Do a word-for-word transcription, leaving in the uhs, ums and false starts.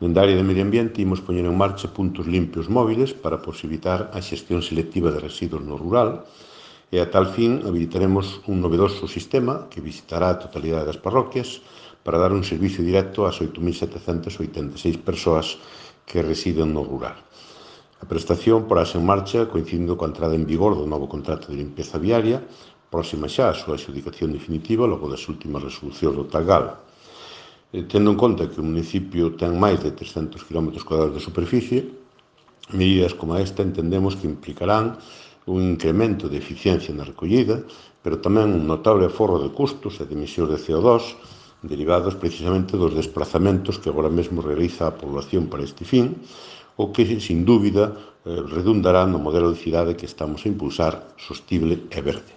Dende a área de medio ambiente imos poñer en marcha puntos limpios móviles para posibilitar a xestión selectiva de residuos no rural e a tal fin habilitaremos un novedoso sistema que visitará a totalidade das parroquias para dar un servicio directo ás oito mil setecentas oitenta e seis persoas que residen no rural. A prestación porase en marcha coincidindo coa entrada en vigor do novo contrato de limpeza viaria, próxima xa a súa adxudicación definitiva logo das últimas resolucións do Talgal. Tendo en conta que o municipio ten máis de trescentos quilómetros cuadrados de superficie, medidas como esta entendemos que implicarán un incremento de eficiencia na recollida, pero tamén un notable aforro de custos e de emisións de C O dos derivados precisamente dos desplazamentos que agora mesmo realiza a población para este fin, o que, sin dúbida, redundará no modelo de cidade que estamos a impulsar, sostible e verde.